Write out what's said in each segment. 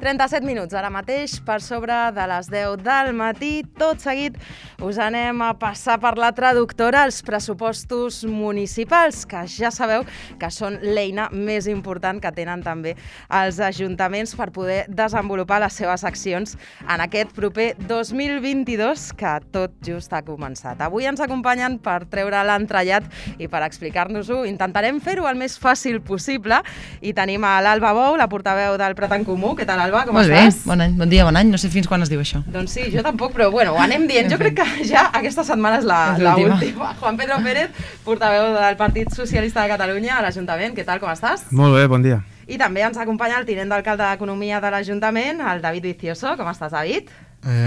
37 minuts, ara mateix, per sobre de les 10 del matí. Tot seguit us anem a passar per la traductora els pressupostos municipals, que ja sabeu que són l'eina més important que tenen també els ajuntaments per poder desenvolupar les seves accions en aquest proper 2022, que tot just ha començat. Avui ens acompanyen per treure l'entrellat i per explicar-nos-ho. Intentarem fer-ho el més fàcil possible i tenim a l'Alba Bou, la portaveu del Prat en Comú. Què tal, Alba? Com estàs? Molt bé, bon dia, bon any. No sé fins quan es diu això. Doncs sí, jo tampoc, però bueno, ho anem dient. Jo crec que ja aquesta setmana és l'última. Juan Pedro Pérez, portaveu del Partit Socialista de Catalunya a l'Ajuntament. Què tal, com estàs? Molt bé, bon dia. I també ens acompanya el tinent d'alcalde d'Economia de l'Ajuntament, el David Vicioso. Com estàs, David?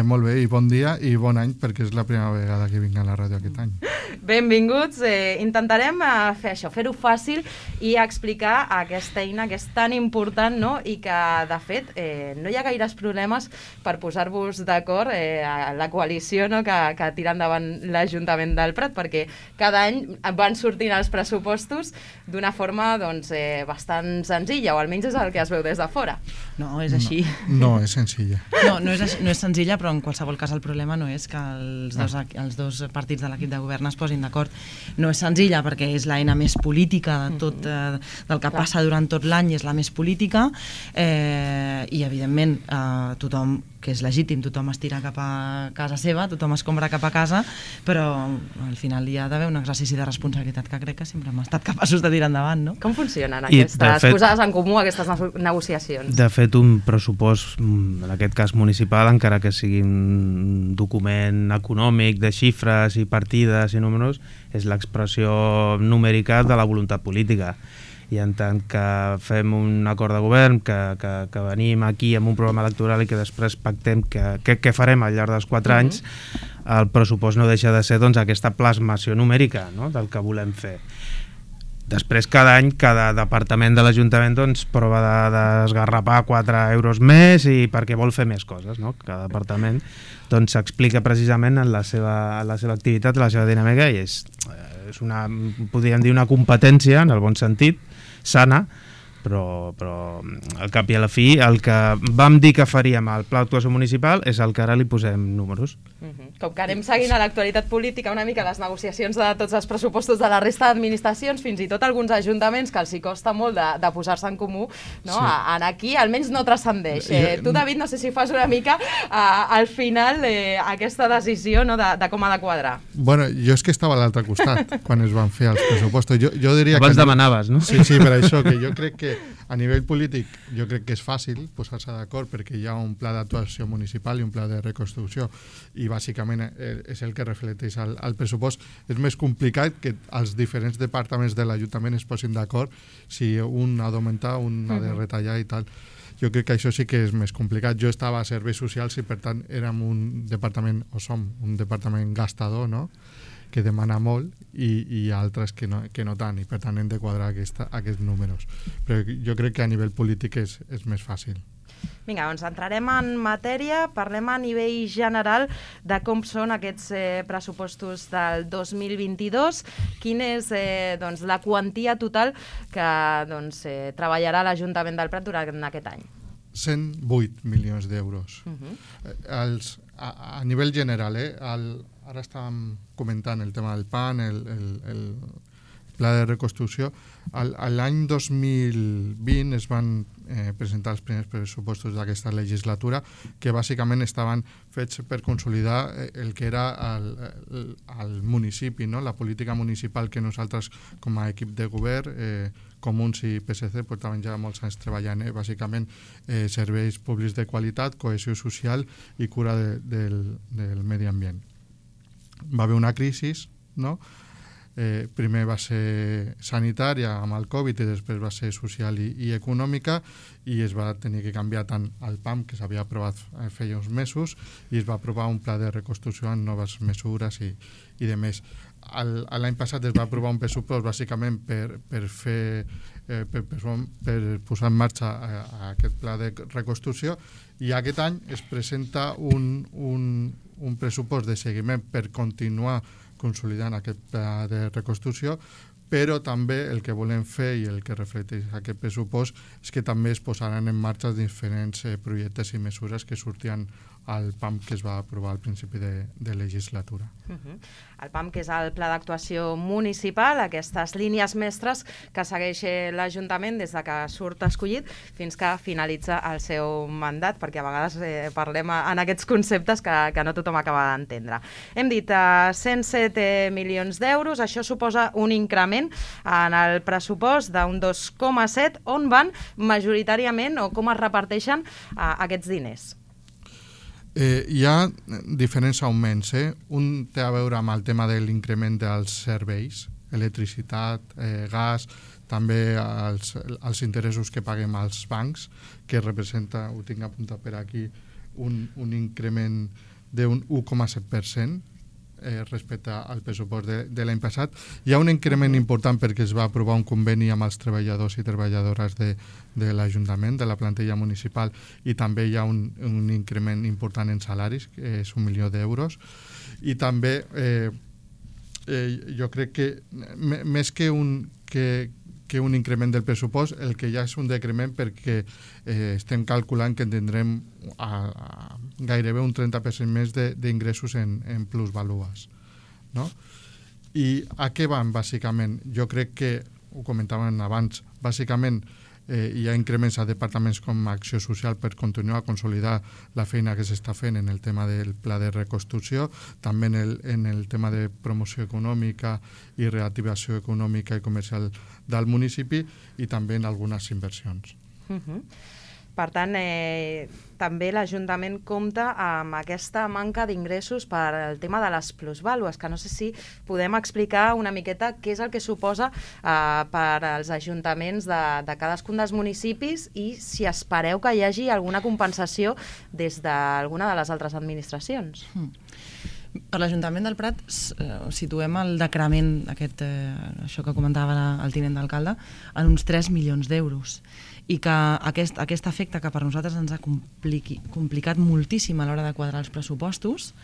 Molt bé, i bon dia i bon any, perquè és la primera vegada que vinc a la ràdio aquest any. Benvinguts. Intentarem fer això, fer-ho fàcil i explicar aquesta eina que és tan important, no? I que, de fet, no hi ha gaires problemes per posar-vos d'acord a la coalició, no? que tira endavant l'Ajuntament del Prat, perquè cada any van sortint els pressupostos d'una forma bastant senzilla, o almenys és el que es veu des de fora. No, és així. No és senzilla. No és senzilla, però en qualsevol cas el problema no és que els dos partits de l'equip de govern es posin d'acord. No és senzilla perquè és l'eina més política de tot, del que passa durant tot l'any, és la més política, i evidentment tothom, que és legítim, tothom es tira cap a casa seva, tothom es compra cap a casa, però al final hi ha d'haver un exercici de responsabilitat que crec que sempre hem estat capaços de tirar endavant, no? Com funcionen aquestes posades en comú, aquestes negociacions? De fet, un pressupost, en aquest cas municipal, encara que sigui un document econòmic de xifres i partides i números, és l'expressió numèrica de la voluntat política. I en tant que fem un acord de govern, que venim aquí amb un programa electoral i que després pactem què farem al llarg dels 4 anys, el pressupost no deixa de ser aquesta plasmació numèrica, no?, del que volem fer. Després, cada any, cada departament de l'Ajuntament prova d'esgarrapar 4 euros més i perquè vol fer més coses, no? Cada departament s'explica precisament en la seva activitat, la seva dinàmica, i és una, podríem dir, una competència, en el bon sentit, sana, però al cap i a la fi el que vam dir que faríem al Pla d'Actuació Municipal és el que ara li posem números. Com que anem seguint a l'actualitat política una mica les negociacions de tots els pressupostos de la resta d'administracions, fins i tot alguns ajuntaments que els hi costa molt de posar-se en comú, no? Sí. Aquí almenys no transcendeix. Tu, David, no sé si fas una mica al final aquesta decisió, no, de com ha de quadrar. Bueno, jo és que estava a l'altre costat quan es van fer els pressupostos. Jo diria abans demanaves, no? Sí, per això, que jo crec que a nivell polític jo crec que és fàcil posar-se d'acord perquè hi ha un pla d'actuació municipal i un pla de reconstrucció i bàsicament és el que reflecteix el pressupost. És més complicat que els diferents departaments de l'Ajuntament es posin d'acord si un ha d'augmentar, un ha de retallar i tal. Jo crec que això sí que és més complicat. Jo estava a serveis socials i per tant érem un departament, o som un departament gastador, no?, que demana molt i altres que no tant, i per tant hem de quadrar aquests números. Però jo crec que a nivell polític és més fàcil. Vinga, doncs entrarem en matèria, parlem a nivell general de com són aquests pressupostos del 2022, quina és la quantia total que treballarà l'Ajuntament del Prat durant aquest any. 108 milions d'euros. A nivell general, ara estàvem comentant el tema del PAN, el pla de reconstrucció. L'any 2020 es van presentar els primers pressupostos d'aquesta legislatura, que bàsicament estaven fets per consolidar el que era el municipi, no? La política municipal que nosaltres com a equip de govern, Comuns i PSC, portaven ja molts anys treballant, bàsicament serveis públics de qualitat, cohesió social i cura del medi ambient. Va haver una crisi, no? Primer va ser sanitària amb el Covid i després va ser social i econòmica, i es va tenir que canviar tant el PAM, que s'havia aprovat feia uns mesos, i es va aprovar un pla de reconstrucció amb noves mesures i de més. L'any passat es va aprovar un pressupost bàsicament per posar en marxa aquest pla de reconstrucció, i aquest any es presenta un pressupost de seguiment per continuar consolidant aquest pla de reconstrucció, però també el que volem fer i el que reflecteix aquest pressupost és que també es posaran en marxa diferents projectes i mesures que sortien al PAM que es va aprovar al principi de legislatura. El PAM, que és el Pla d'Actuació Municipal, aquestes línies mestres que segueix l'Ajuntament des de que surt escollit fins que finalitza el seu mandat, perquè a vegades parlem en aquests conceptes que no tothom acaba d'entendre. Hem dit 107 milions d'euros, això suposa un increment en el pressupost d'un 2,7, on van majoritàriament o com es reparteixen aquests diners? Hi ha diferents augments. Un té a veure amb el tema de l'increment dels serveis, electricitat, gas, també els interessos que paguem als bancs, que representa, ho tinc apuntat per aquí, un increment d'un 1,7%, respecte al pressupost de l'any passat. Hi ha un increment important perquè es va aprovar un conveni amb els treballadors i treballadores de l'Ajuntament, de la plantilla municipal, i també hi ha un increment important en salaris, que és 1 milió d'euros. I també jo crec que més que un increment del pressupost, el que ja és un decrement perquè estem calculant que tindrem gairebé un 30% més d'ingressos en plusvalues. No? I a què van, bàsicament? Jo crec que, ho comentàvem abans, bàsicament hi ha increments a departaments com Acció Social per continuar a consolidar la feina que s'està fent en el tema del pla de reconstrucció, també en el tema de promoció econòmica i reactivació econòmica i comercial del municipi, i també en algunes inversions. Per tant, també l'Ajuntament compta amb aquesta manca d'ingressos per al tema de les plusvàlues, que no sé si podem explicar una miqueta què és el que suposa per als ajuntaments de cadascun dels municipis i si espereu que hi hagi alguna compensació des d'alguna de les altres administracions. Per l'Ajuntament del Prat situem el decrement, això que comentava el tinent d'alcalde, en uns 3 milions d'euros. I que aquest efecte que per nosaltres ens ha complicat moltíssim a l'hora de quadrar els pressupostos,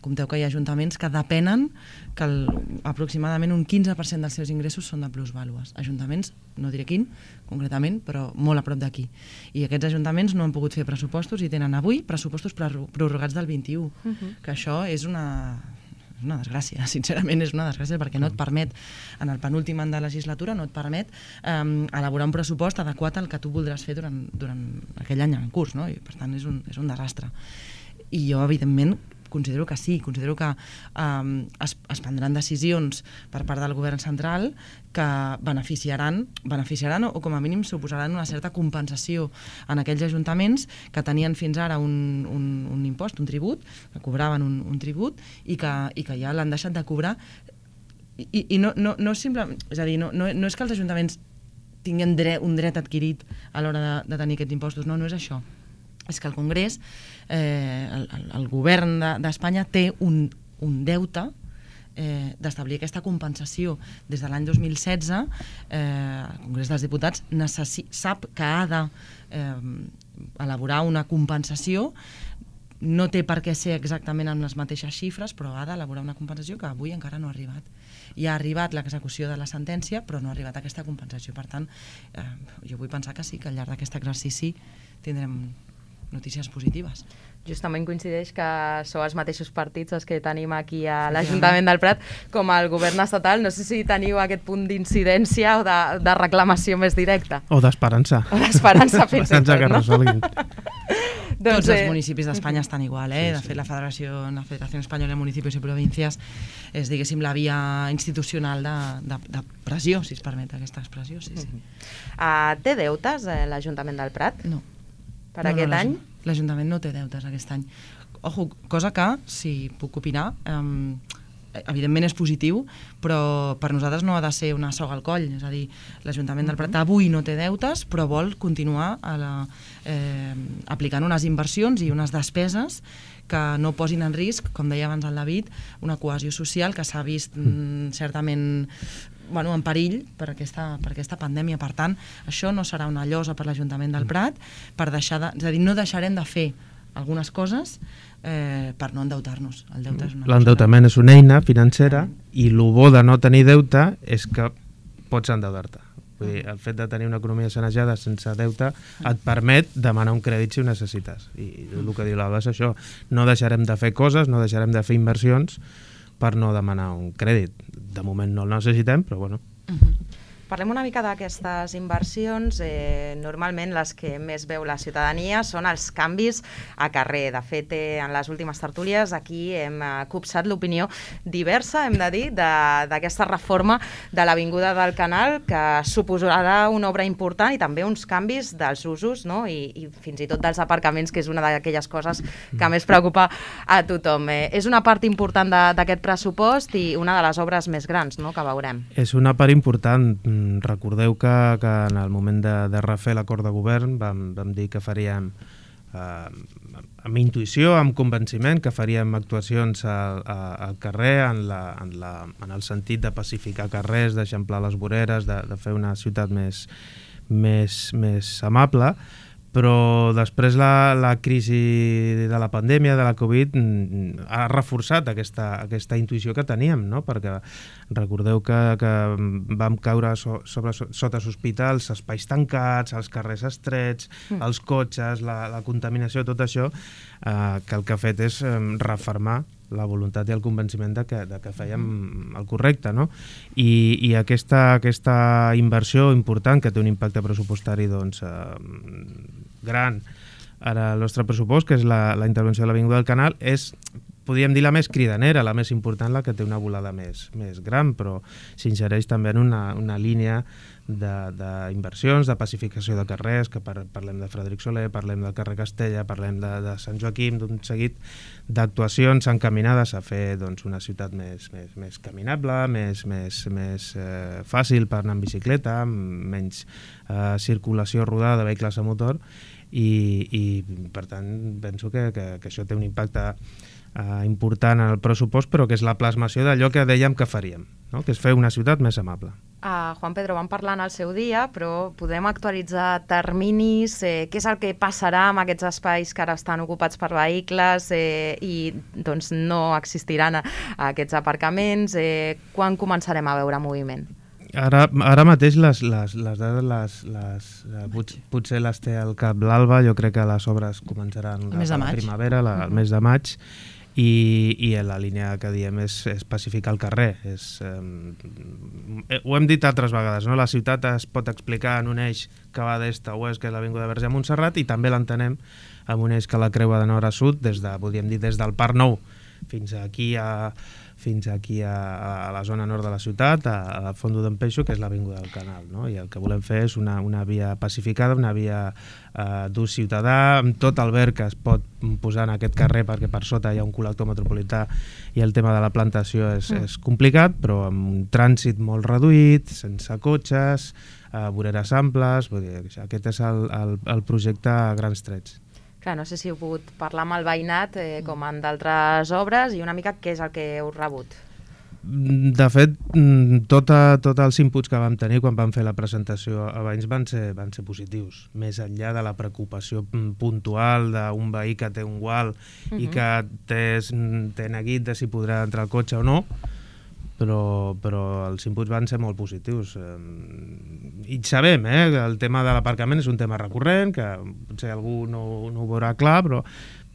compteu que hi ha ajuntaments que depenen que aproximadament un 15% dels seus ingressos són de plusvàlues. Ajuntaments, no diré quin concretament, però molt a prop d'aquí. I aquests ajuntaments no han pogut fer pressupostos i tenen avui pressupostos prorrogats del 21, que això és una desgràcia, sincerament és una desgràcia, perquè no et permet, en el penúltim any de legislatura, no et permet elaborar un pressupost adequat al que tu voldràs fer durant aquell any en curs, no? I per tant és un desastre. I jo, evidentment, considero que sí, considero que es prendran decisions per part del govern central que beneficiaran o com a mínim suposaran una certa compensació en aquells ajuntaments que tenien fins ara un impost, un tribut, que cobraven un tribut i que ja l'han deixat de cobrar. I no simplement, és a dir, no és que els ajuntaments tinguin un dret adquirit a l'hora de tenir aquests impostos, no és això. És que el Congrés, el govern d'Espanya té un deute d'establir aquesta compensació. Des de l'any 2016, el Congrés dels Diputats sap que ha d'elaborar una compensació, no té per què ser exactament amb les mateixes xifres, però ha d'elaborar una compensació que avui encara no ha arribat. Ja ha arribat l'execució de la sentència, però no ha arribat aquesta compensació. Per tant, jo vull pensar que sí, que al llarg d'aquest exercici tindrem notícies positives. Justament coincideix que sou els mateixos partits els que tenim aquí a l'Ajuntament del Prat com al govern estatal. No sé si teniu aquest punt d'incidència o de reclamació més directa. O d'esperança. O d'esperança, fins i tot, que resolguin. Tots els municipis d'Espanya estan igual, De fet, la Federació Espanyola de Municipis i Províncies és, diguéssim, la via institucional de pressió, si es permet aquesta expressió. Té deutes l'Ajuntament del Prat? No. Per aquest any? L'Ajuntament no té deutes aquest any. Ojo, cosa que, si puc opinar, evidentment és positiu, però per nosaltres no ha de ser una soga al coll. És a dir, l'Ajuntament del Prat avui no té deutes, però vol continuar aplicant unes inversions i unes despeses que no posin en risc, com deia abans el David, una cohesió social que s'ha vist certament en perill per aquesta pandèmia. Per tant, això no serà una llosa per l'Ajuntament del Prat, és a dir, no deixarem de fer algunes coses per no endeutar-nos. El deute és una cosa... L'endeutament és una eina financera i el bo de no tenir deute és que pots endeutar-te. Vull dir, el fet de tenir una economia sanejada sense deute et permet demanar un crèdit si ho necessites. I el que diu l'Alba és això. No deixarem de fer coses, no deixarem de fer inversions per no demanar un crèdit. De moment no el necessitem, però bueno. Parlem una mica d'aquestes inversions. Normalment les que més veu la ciutadania són els canvis a carrer. De fet, en les últimes tertúlies aquí hem copsat l'opinió diversa, hem de dir, d'aquesta reforma de l'Avinguda del Canal, que suposarà una obra important i també uns canvis dels usos, no? I fins i tot dels aparcaments, que és una d'aquelles coses que més preocupa a tothom. És una part important d'aquest pressupost i una de les obres més grans, no?, que veurem. És una part important. Recordeu que en el moment de refer l'acord de govern vam dir que faríem amb intuïció, amb convenciment, que faríem actuacions al carrer en el sentit de pacificar carrers, d'eixamplar les voreres, de fer una ciutat més amable, però després la crisi de la pandèmia, de la Covid, ha reforçat aquesta intuïció que teníem, no? Perquè recordeu que vam caure sota sospita els espais tancats, els carrers estrets, els cotxes, la contaminació, tot això, que el que ha fet és refermar la voluntat i el convenciment de que fèiem el correcte, no? I aquesta inversió important, que té un impacte pressupostari doncs, gran ara el nostre pressupost, que és la intervenció de l'Avinguda del Canal, és, podríem dir, la més cridanera, la més important, la que té una volada més gran, però s'ingereix també en una línia d'inversions, de pacificació de carrers, que parlem de Frederic Soler, parlem del carrer Castella, parlem de Sant Joaquim, d'un seguit d'actuacions encaminades a fer doncs, una ciutat més caminable, més fàcil per anar en bicicleta, amb menys circulació rodada de vehicles a motor, i per tant penso que això té un impacte important en el pressupost, però que és la plasmació d'allò que dèiem que faríem, no? Que és fer una ciutat més amable. Juan Pedro, vam parlar en el seu dia, però podem actualitzar terminis, què és el que passarà amb aquests espais que ara estan ocupats per vehicles i doncs no existiran aquests aparcaments? Quan començarem a veure moviment? Ara mateix les dades potser les té al cap l'Alba. Jo crec que les obres començaran a la primavera, el mes de maig, i la línia que diem és pacificar el carrer. Ho hem dit altres vegades, no? La ciutat es pot explicar en un eix que va d'est a oest, que és l'Avinguda Verge a Montserrat, i també l'entenem amb un eix que la creua de nord a sud, podríem dir des del Parc Nou fins aquí a la zona nord de la ciutat, al Fondo d'en Peixo, que és l'Avinguda del Canal, no? I el que volem fer és una via pacificada, una via d'ús ciutadà, amb tot el verd que es pot posar en aquest carrer, perquè per sota hi ha un col·lector metropolità i el tema de la plantació és complicat, però amb un trànsit molt reduït, sense cotxes, voreres amples. Vull dir, aquest és el projecte a grans trets. Clar, no sé si heu pogut parlar amb el veïnat, com en d'altres obres, i una mica què és el que heu rebut. De fet, tots els inputs que vam tenir quan vam fer la presentació a veïns van ser positius, més enllà de la preocupació puntual d'un veí que té un gual i que té neguit de si podrà entrar al cotxe o no, però els inputs van ser molt positius. I sabem que el tema de l'aparcament és un tema recurrent, que potser algú no ho veurà clar, però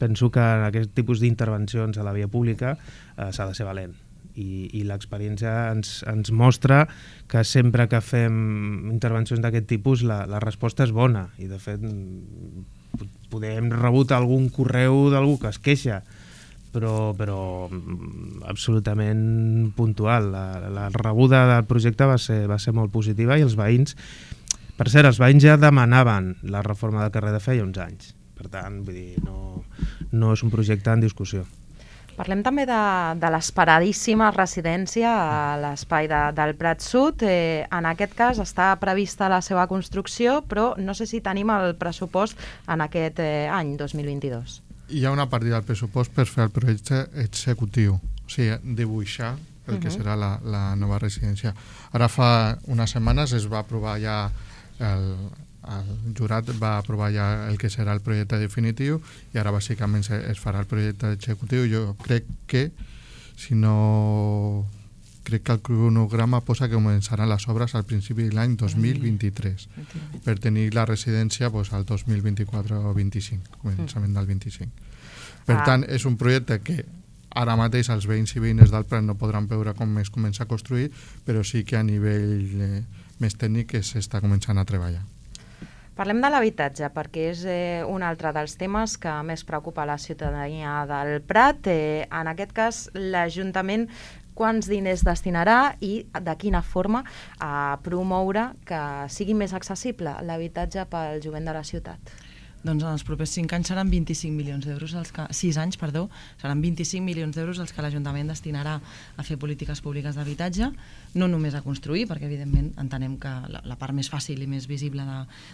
penso que en aquest tipus d'intervencions a la via pública s'ha de ser valent. I l'experiència ens mostra que sempre que fem intervencions d'aquest tipus la resposta és bona, i de fet hem rebut algun correu d'algú que es queixa, però absolutament puntual. La rebuda del projecte va ser molt positiva, i els veïns, per cert, els veïns ja demanaven la reforma del carrer de feia uns anys. Per tant, vull dir, no és un projecte en discussió. Parlem també de l'esperadíssima residència a l'espai del Prat Sud. En aquest cas està prevista la seva construcció, però no sé si tenim el pressupost en aquest any 2022. Hi ha una partida del pressupost per fer el projecte executiu, o sigui, dibuixar el que serà la nova residència. Ara fa unes setmanes es va aprovar ja el jurat va aprovar ja el que serà el projecte definitiu i ara bàsicament es farà el projecte executiu. Jo crec que crec que el cronograma posa que començaran les obres al principi de l'any 2023 per tenir la residència al 2024 o 25, començament del 25. Per tant, és un projecte que ara mateix els veïns i veïnes del Prat no podran veure com es comença a construir, però sí que a nivell més tècnic s'està començant a treballar. Parlem de l'habitatge, perquè és un altre dels temes que més preocupa la ciutadania del Prat. En aquest cas, l'Ajuntament quants diners destinarà i de quina forma a promoure que sigui més accessible l'habitatge pel jovent de la ciutat? Doncs en els propers 5 anys seran 25 milions d'euros, 6 anys, perdó, seran 25 milions d'euros els que l'Ajuntament destinarà a fer polítiques públiques d'habitatge, no només a construir, perquè evidentment entenem que la part més fàcil i més visible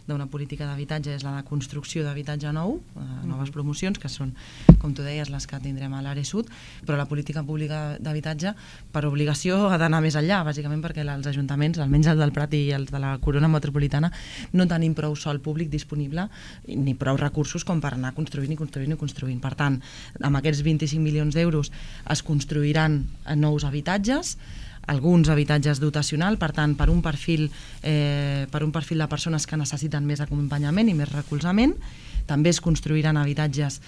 d'una política d'habitatge és la de construcció d'habitatge nou, noves promocions, que són, com tu deies, les que tindrem a l'àrea sud, però la política pública d'habitatge, per obligació, ha d'anar més enllà, bàsicament perquè els ajuntaments, almenys el del Prat i els de la Corona Metropolitana, no tenim prou sòl públic disponible, ni prou recursos com per anar construint. Per tant, amb aquests 25 milions d'euros es construiran nous habitatges, alguns habitatges dotacional, per tant, per un perfil de persones que necessiten més acompanyament i més recolzament. També es construiran habitatges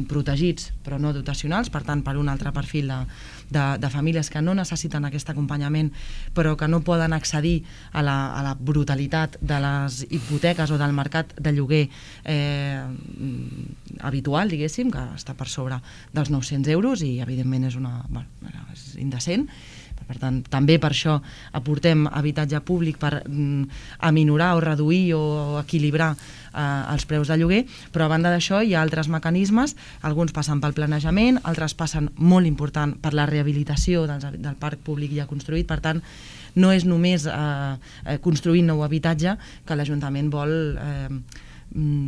protegits però no dotacionals, per tant, per un altre perfil de famílies que no necessiten aquest acompanyament però que no poden accedir a la brutalitat de les hipoteques o del mercat de lloguer habitual, diguéssim, que està per sobre dels 900 euros i evidentment és indecent. Per tant, també per això aportem habitatge públic per aminorar o reduir o equilibrar els preus de lloguer, però a banda d'això hi ha altres mecanismes, alguns passen pel planejament, altres passen, molt important, per la rehabilitació del parc públic ja construït. Per tant, no és només construir nou habitatge que l'Ajuntament vol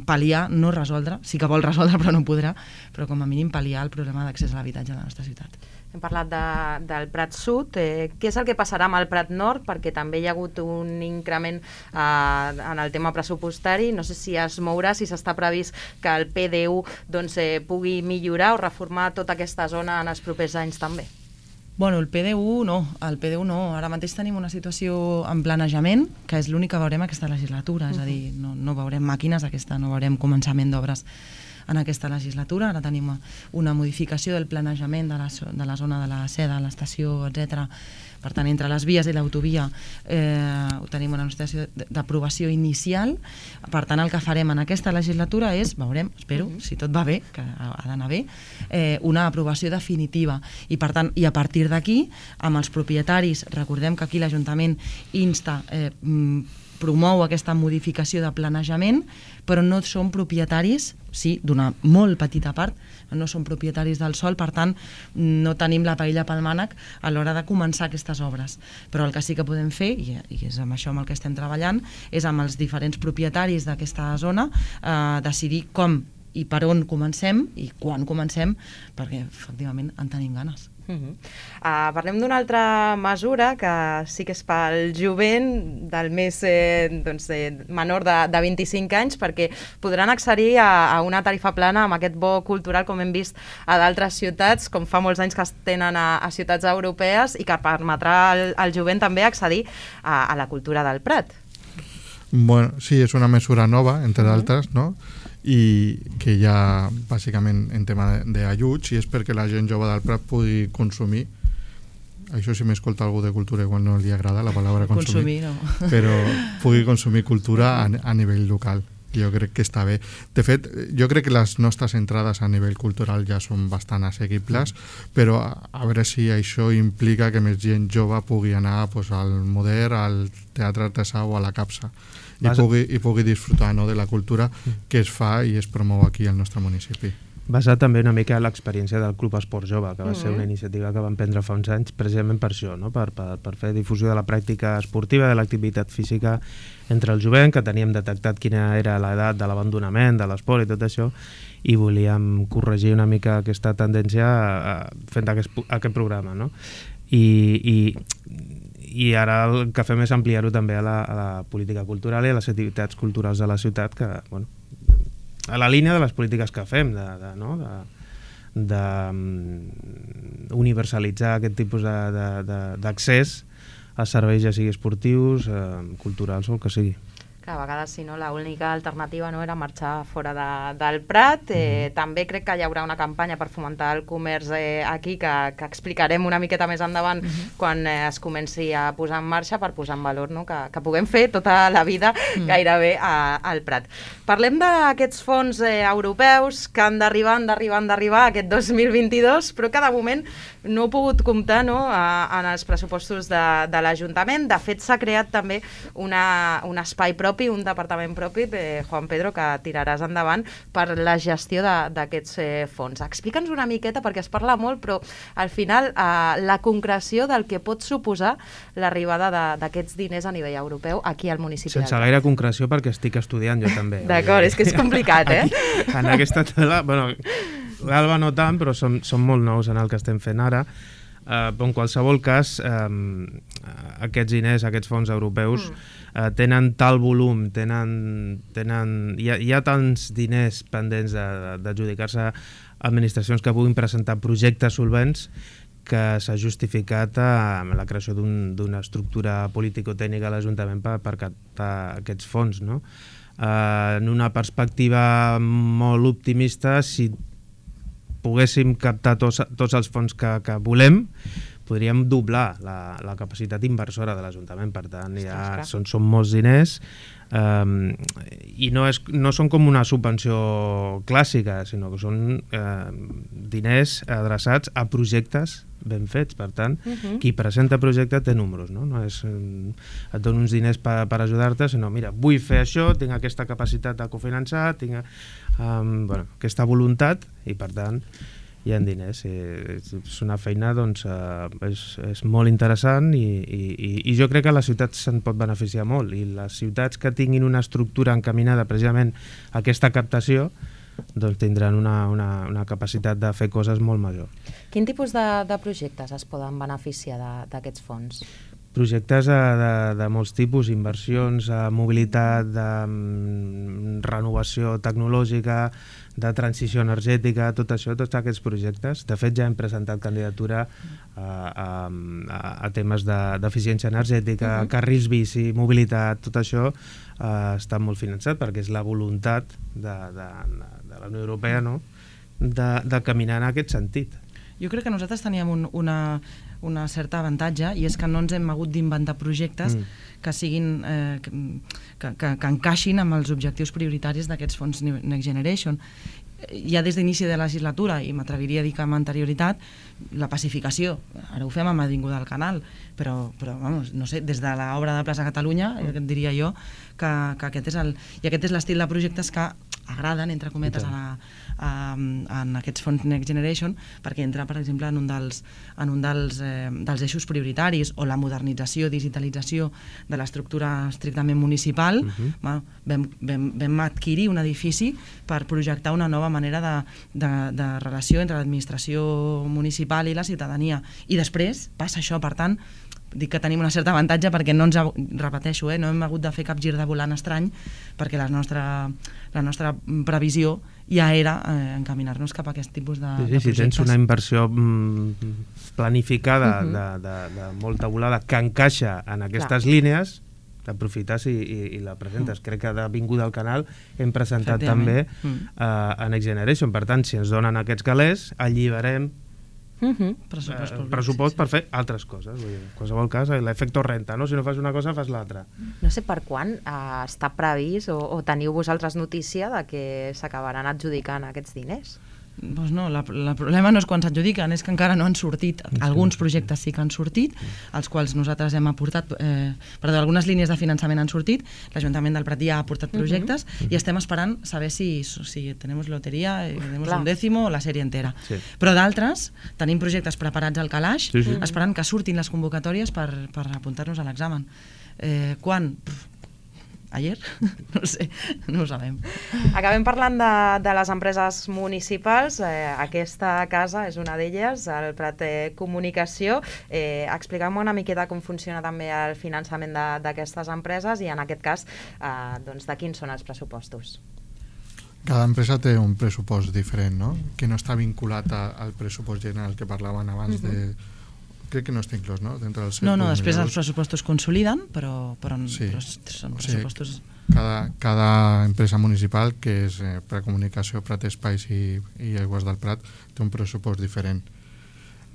pal·liar, no resoldre, sí que vol resoldre però no podrà, però com a mínim pal·liar el problema d'accés a l'habitatge a la nostra ciutat. Hem parlat del Prat Sud. Què és el que passarà amb el Prat Nord? Perquè també hi ha hagut un increment en el tema pressupostari. No sé si es mourà, si s'està previst que el PDU pugui millorar o reformar tota aquesta zona en els propers anys també. Bueno, el PDU no. Ara mateix tenim una situació en planejament, que és l'únic que veurem aquesta legislatura, és a dir, no veurem màquines no veurem començament d'obres en aquesta legislatura. Ara tenim una modificació del planejament de la zona de la seda, l'estació, etc. Per tant, entre les vies i l'autovia tenim una situació d'aprovació inicial. Per tant, el que farem en aquesta legislatura és, veurem, espero, si tot va bé, que ha d'anar bé, una aprovació definitiva. I per tant, i a partir d'aquí, amb els propietaris, recordem que aquí l'Ajuntament insta, promou aquesta modificació de planejament, però no són propietaris, sí, d'una molt petita part, no són propietaris del sòl, per tant, no tenim la paella pel mànec a l'hora de començar aquestes obres. Però el que sí que podem fer, i és amb això amb el que estem treballant, és amb els diferents propietaris d'aquesta zona decidir com i per on comencem i quan comencem, perquè efectivament en tenim ganes. Parlem d'una altra mesura que sí que és pel jovent del més menor de 25 anys, perquè podran accedir a una tarifa plana amb aquest bo cultural, com hem vist a d'altres ciutats, com fa molts anys que es tenen a ciutats europees, i que permetrà al jovent també accedir a la cultura del Prat. Bueno, sí, és una mesura nova, entre d'altres, no? I que ja bàsicament en tema d'ajuts, i és perquè la gent jove del Prat pugui consumir, això si m'escolta algú de cultura igual no li agrada la paraula consumir no. Però pugui consumir cultura a nivell local. Jo crec que està bé. De fet, jo crec que les nostres entrades a nivell cultural ja són bastant assequibles, però a veure si això implica que més gent jove pugui anar al Moder, al Teatre Artesà o a la Capsa i pugui disfrutar de la cultura que es fa i es promou aquí al nostre municipi. Basat també una mica en l'experiència del Club Esport Jove, que va ser una iniciativa que vam prendre fa uns anys precisament per això, no? per fer difusió de la pràctica esportiva, de l'activitat física entre el jovent, que teníem detectat quina era l'edat de l'abandonament, de l'esport i tot això, i volíem corregir una mica aquesta tendència fent aquest programa, no? I I ara el que fem és ampliar-ho també a la política cultural i a les activitats culturals de la ciutat, que, bueno, a la línia de les polítiques que fem, de universalitzar aquest tipus d'accés a serveis, ja sigui esportius, culturals o el que sigui. Que a vegades, si no, l'única alternativa no era marxar fora del Prat. També crec que hi haurà una campanya per fomentar el comerç aquí, que explicarem una miqueta més endavant quan es comenci a posar en marxa, per posar en valor, no? que puguem fer tota la vida gairebé al Prat. Parlem d'aquests fons europeus que han d'arribar aquest 2022, però que de moment no he pogut comptar, no? En els pressupostos de l'Ajuntament. De fet, s'ha creat també un espai propi, un departament propi, Juan Pedro, que tiraràs endavant per la gestió d'aquests fons. Explica'ns una miqueta, perquè es parla molt, però al final la concreció del que pot suposar l'arribada d'aquests diners a nivell europeu aquí al municipi. Sense gaire concreció, perquè estic estudiant jo també. D'acord, és que és complicat, aquí, en aquesta tela, bueno, l'Alba no tant, però som molt nous en el que estem fent ara. En qualsevol cas, aquests diners, aquests fons europeus, tenen tal volum, hi ha tants diners pendents d'adjudicar-se a administracions que puguin presentar projectes solvents, que s'ha justificat la creació d'una estructura político-tècnica a l'Ajuntament per captar aquests fons, no? En una perspectiva molt optimista, si poguéssim captar tots els fons que volem, podríem doblar la capacitat inversora de l'Ajuntament. Per tant, són molts diners, i no són com una subvenció clàssica, sinó que són diners adreçats a projectes ben fets. Per tant, qui presenta projecte té números, no és et dono uns diners per ajudar-te, sinó, mira, vull fer això, tinc aquesta capacitat de cofinançar, tinc aquesta voluntat, i per tant hi ha diners. És una feina, doncs, és molt interessant, i jo crec que la ciutat se'n pot beneficiar molt, i les ciutats que tinguin una estructura encaminada precisament a aquesta captació, doncs tindran una capacitat de fer coses molt major. Quin tipus de projectes es poden beneficiar d'aquests fons? Projectes de molts tipus, inversions, mobilitat, de renovació tecnològica, de transició energètica, tot això, tots aquests projectes. De fet, ja hem presentat candidatura a temes d'eficiència energètica, carrils bici, mobilitat, tot això està molt finançat, perquè és la voluntat de la Unió Europea, no?, de caminar en aquest sentit. Jo crec que nosaltres teníem una certa avantatge, i és que no ens hem hagut d'inventar projectes que siguin que encaixin amb els objectius prioritaris d'aquests fons Next Generation. Ja des d'inici de la legislatura, i m'atreviria a dir que amb anterioritat, la pacificació, ara ho fem amb Avinguda del Canal, però vamos, no sé, des de l'obra de Plaça Catalunya, diria jo que aquest és l'estil de projectes que agraden, entre cometes, en aquests fons Next Generation, perquè entra, per exemple, en un dels eixos prioritaris, o la modernització, digitalització de l'estructura estrictament municipal. Vam adquirir un edifici per projectar una nova manera de relació entre l'administració municipal i la ciutadania, i després passa això. Per tant, dic que tenim una certa avantatge, perquè no hem hagut de fer cap gir de volant estrany, perquè la nostra previsió ja era encaminar-nos cap a aquest tipus de projectes. Si tens una inversió planificada de molta volada que encaixa en aquestes línies, t'aprofites i la presentes. Crec que d'Avinguda al Canal hem presentat també a Next Generation. Per tant, si ens donen aquests calés, alliberem pressupost per fer altres coses. En qualsevol cas, l'efecte renta, no? Si no fas una cosa, fas l'altra. No sé per quan està previst, o teniu vosaltres notícia de que s'acabaran adjudicant aquests diners? Doncs no, el problema no és quan s'adjudiquen, és que encara no han sortit. Alguns projectes sí que han sortit, els quals nosaltres hem aportat, algunes línies de finançament han sortit, l'Ajuntament del Prat ja ha aportat projectes, i estem esperant saber si tenemos lotería, tenemos un décimo o la sèrie entera. Però d'altres, tenim projectes preparats al calaix, esperant que surtin les convocatòries per apuntar-nos a l'examen. Quan? ayer? No sé, no ho sabem. Acabem parlant de les empreses municipals. Aquesta casa és una d'elles, el Prat Comunicació. Expliquem una miqueta com funciona també el finançament d'aquestes empreses i en aquest cas doncs, de quins són els pressupostos. Cada empresa té un pressupost diferent, no? Que no està vinculat al pressupost general que parlaven abans de... Crec que no està inclòs, no? No, després els pressupostos consoliden, però sí. Són pressupostos... Cada empresa municipal, que és Prat Comunicació, Prat Espais i Aigües del Prat, té un pressupost diferent.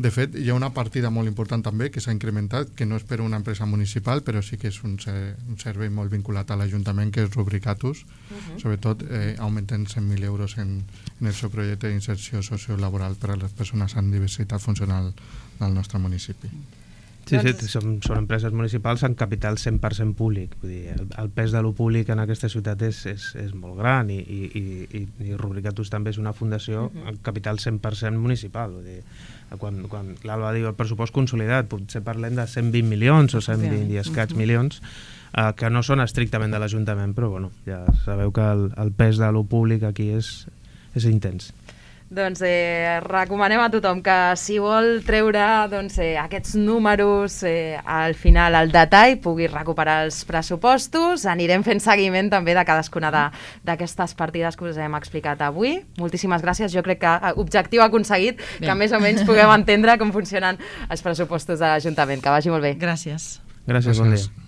De fet, hi ha una partida molt important també que s'ha incrementat, que no és per una empresa municipal, però sí que és un servei molt vinculat a l'Ajuntament, que és Rubricatus. Sobretot augmenten 100.000 euros en el seu projecte d'inserció sociolaboral per a les persones amb diversitat funcional del nostre municipi. Sí, són empreses municipals amb capital 100% públic. Vull dir, el pes de lo públic en aquesta ciutat és molt gran i Rubricatus també és una fundació amb capital 100% municipal. Vull dir, quan l'Alba diu el pressupost consolidat, potser parlem de 120 milions o 120 i escaig milions, que no són estrictament de l'Ajuntament, però bueno, ja sabeu que el pes de lo públic aquí és intens. Doncs recomanem a tothom que si vol treure aquests números al final, al detall, pugui recuperar els pressupostos. Anirem fent seguiment també de cadascuna d'aquestes partides que us hem explicat avui. Moltíssimes gràcies. Jo crec que objectiu aconseguit, que més o menys puguem entendre com funcionen els pressupostos de l'Ajuntament. Que vagi molt bé. Gràcies. Gràcies, bon dia.